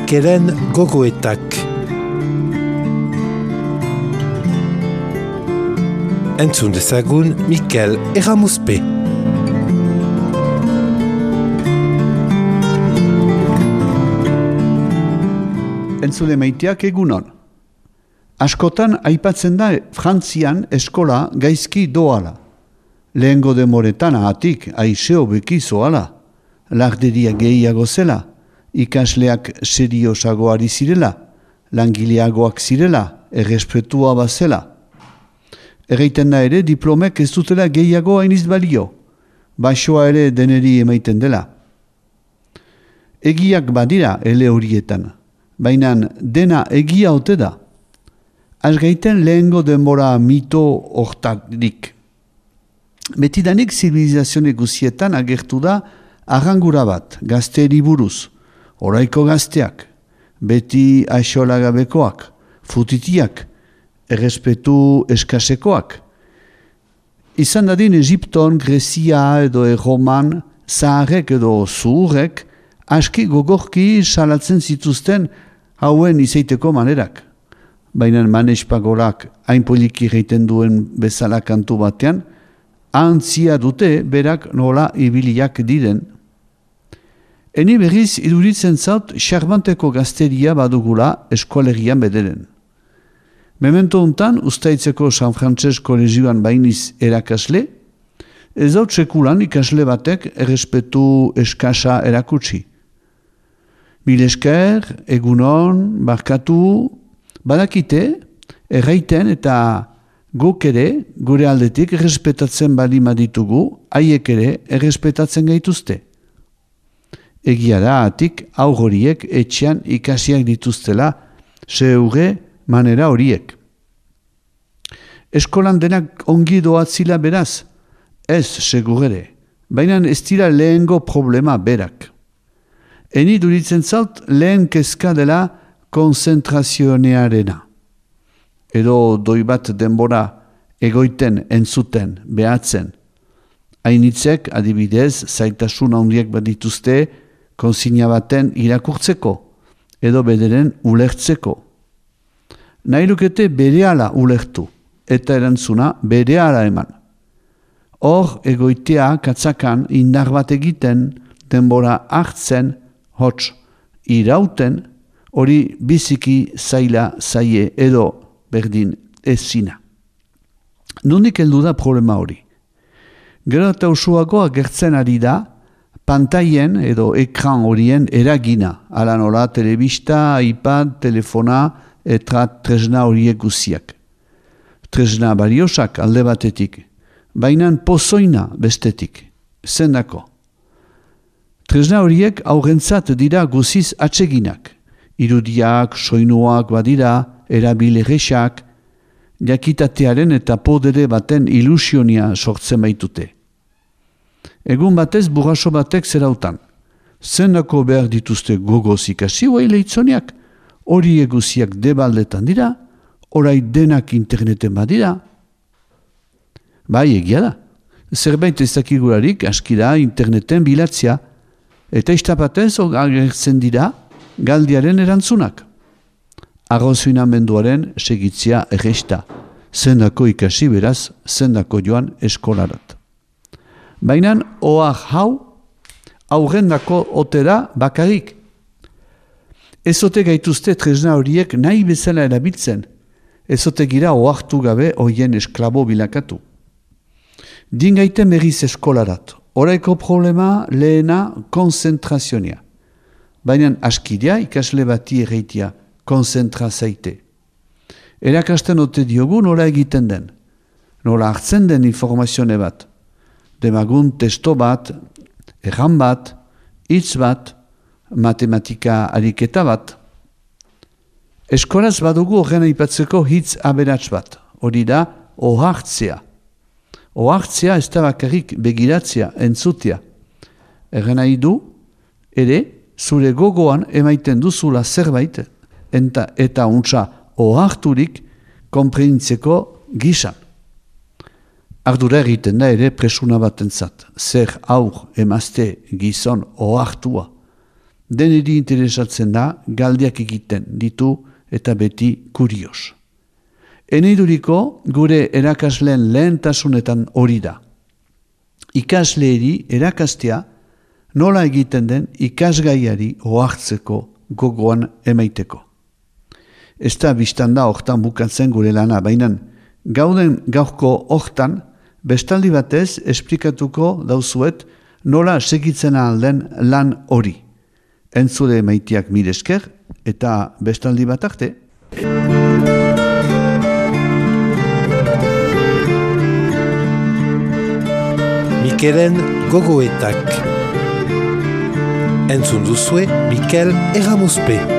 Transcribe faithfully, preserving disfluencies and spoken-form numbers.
Mikelen gogoetak. Entzun dezagun Mikel Erramuzpe. Entzule maiteak egunon. Askotan aipatzen da Frantzian eskola gaizki doala. Lehengo demoretan ahatik aizeo beki zoala. Larderia gehiago zela. Ikasleak seriosago ari zirela. Langileagoak zirela. Errespetua bazela. Erreiten da ere diplomek ez dutela gehiago hainiz balio. Baixoa ere deneri emaiten dela. Egiak badira ele horietan. Baina dena egia ote da. Azgaiten lehengo denbora mito hortarik. Betidanik zibilizazione guzietan agertu da arrangura bat, gazteeri buruz, oraiko gazteak, beti aixolagabekoak, futitiak, errespetu eskasekoak. Izan dadin Egipton, Grezia edo Erroman, zaharrek edo zuhurrek, aski gogorki salatzen zituzten hauen izaiteko manerak. Baina Manes Pagolak hain poliki reiten duen bezala kantu batean, antzia dute berak nola ibiliak diren. Eni berriz iduritzen zaut xarbanteko gazteria badugula eskualerian bederen. Memento untan, ustaitzeko San Frantses kolegioan bainiz erakasle, ez dut sekulan ikasle batek errespetu eskasa erakutsi. Milesker, egunon, barkatu, badakite, erraiten eta guk ere, gure aldetik errespetatzen bali maditugu, haiek ere errespetatzen gaituzte. Egia da, atik, aur horiek etxean ikasiak dituztela, zeure manera horiek. Eskolan denak ongi doatzila beraz, ez segurere, baina ez dira lehengo problema berak. Eni duritzen zaut lehen kezka dela konzentrazionearena. Edo doi bat denbora egoiten, entzuten, behatzen. Hainitzek, adibidez, zaitasun handiak badituzte konsigna baten irakurtzeko, edo bederen ulertzeko. Nahi lukete berehala ulertu, eta erantzuna berehala eman. Hor egoitea katzakan indar bat egiten, denbora hartzen, hots irauten, hori biziki zaila zaie edo berdin ezina. Nondik heldu da problema hori? Gero eta usuago agertzen ari da pantaien edo ekran horien eragina, ala nola telebista, iPad, telefona eta tresna horiek guziak. Tresna bariosak alde batetik, baina pozoina bestetik, zendako. Tresna horiek aurrentzat dira guziz atseginak. Irudiak, soinuak badira, erabilegesak, jakitatearen eta podere baten ilusionia sortzen baitute. Egun batez burraso batek zerautan. Zendako behar dituzte gogoz ikasi huai leitzoniak, hori eguziak debaldetan dira, orai denak interneten badira. Bai, egia da. Zerbait ez dakigularik askira interneten bilatzia, eta istapatez agertzen dira galdiaren erantzunak. Arrozuinamenduaren segitzia erresta, zendako ikasi beraz, zendako joan eskolarat. Baina ohar hau, aurrendako otera bakarik. Ezote gaituzte tresna horiek nahi bezala erabiltzen, ezote gira ohartu gabe hoien esklabo bilakatu. Dingaiten berriz eskolarat. Oraiko problema lehena konzentrazionia. Baina askidea ikasle bati erreitia konzentra zaite. Erakasten ote diogu nola egiten den. Nola hartzen den informazione bat. Demagun testo bat, erran bat, hitz bat, matematika ariketa bat. Eskolaz badugu horren aipatzeko hitz aberats bat. Hori da ohartzea. Ohartzea ez da bakarrik begiratzea, entzutea. Erren nahi du, ere, zure gogoan emaiten duzula zerbait, enta, eta untsa oharturik konprenitzeko gisan. Ardura egiten da ere presuna batentzat, zer aur emazte gizon ohartua. deneri interesatzen da galdiak egiten ditu eta beti kurios. Eneiduriko gure erakasleen lehentasunetan hori da. Ikasleeri erakastea nola egiten den ikasgaiari ohartzeko gogoan emaiteko. Ez da biztan da hortan bukatzen gure lana, baina gauden gaurko hortan bestaldi batez esplikatuko dauzuet nola segitzen alden lan hori. Entzule maitiak mil esker eta bestaldi bat arte. Mikelen gogoetak. Entzun duzue Mikel Erramuzpe.